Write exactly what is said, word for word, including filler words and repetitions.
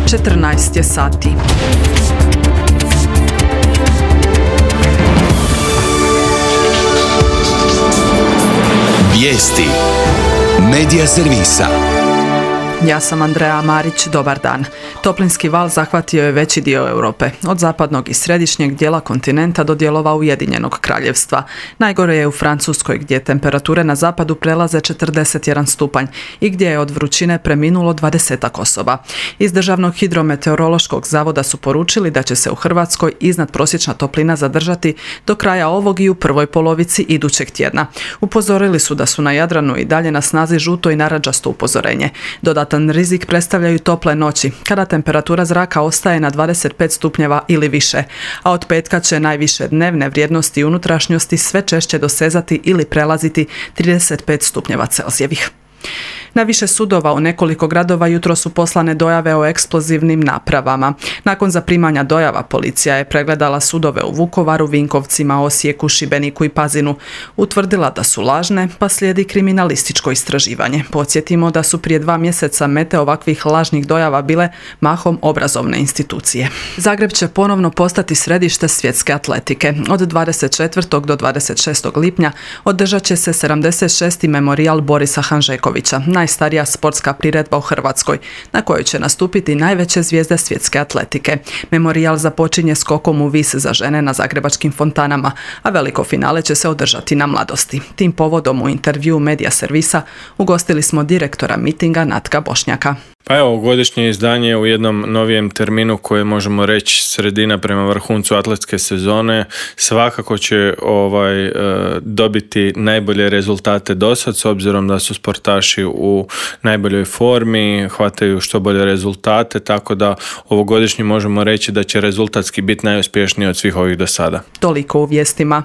četrnaest je sati. Vijesti Medija servisa. Ja sam Andreja Marić, dobar dan. Toplinski val zahvatio je veći dio Europe, od zapadnog i središnjeg dijela kontinenta do dijelova Ujedinjenog kraljevstva. Najgore je u Francuskoj, gdje temperature na zapadu prelaze četrdeset jedan stupanj i gdje je od vrućine preminulo dvadesetak osoba. Iz Državnog hidrometeorološkog zavoda su poručili da će se u Hrvatskoj iznadprosječna toplina zadržati do kraja ovog i u prvoj polovici idućeg tjedna. Upozorili su da su na Jadranu i dalje na snazi žuto i narandžasto upozorenje. Dodatno rizik predstavljaju tople noći, kada temperatura zraka ostaje na dvadeset pet stupnjeva ili više, a od petka će najviše dnevne vrijednosti unutrašnjosti sve češće dosezati ili prelaziti trideset pet stupnjeva Celzijevih. Na više sudova u nekoliko gradova jutro su poslane dojave o eksplozivnim napravama. Nakon zaprimanja dojava policija je pregledala sudove u Vukovaru, Vinkovcima, Osijeku, Šibeniku i Pazinu. Utvrdila da su lažne, pa slijedi kriminalističko istraživanje. Podsjetimo da su prije dva mjeseca mete ovakvih lažnih dojava bile mahom obrazovne institucije. Zagreb će ponovno postati središte svjetske atletike. Od dvadeset četvrtog do dvadeset šestog lipnja održat će se sedamdeset šesti memorijal Borisa Hanžekovića, najstarija sportska priredba u Hrvatskoj, na kojoj će nastupiti najveće zvijezde svjetske atletike. Memorijal započinje skokom u vis za žene na zagrebačkim fontanama, a veliko finale će se održati na Mladosti. Tim povodom u intervjuu Medija servisa ugostili smo direktora mitinga Natka Bošnjaka. Pa evo, godišnje izdanje u jednom novijem terminu koje možemo reći sredina prema vrhuncu atletske sezone svakako će ovaj, dobiti najbolje rezultate dosad, s obzirom da su sportaši u najboljoj formi, hvataju što bolje rezultate, tako da ovogodišnji možemo reći da će rezultatski biti najuspješniji od svih ovih do sada. Toliko u vijestima.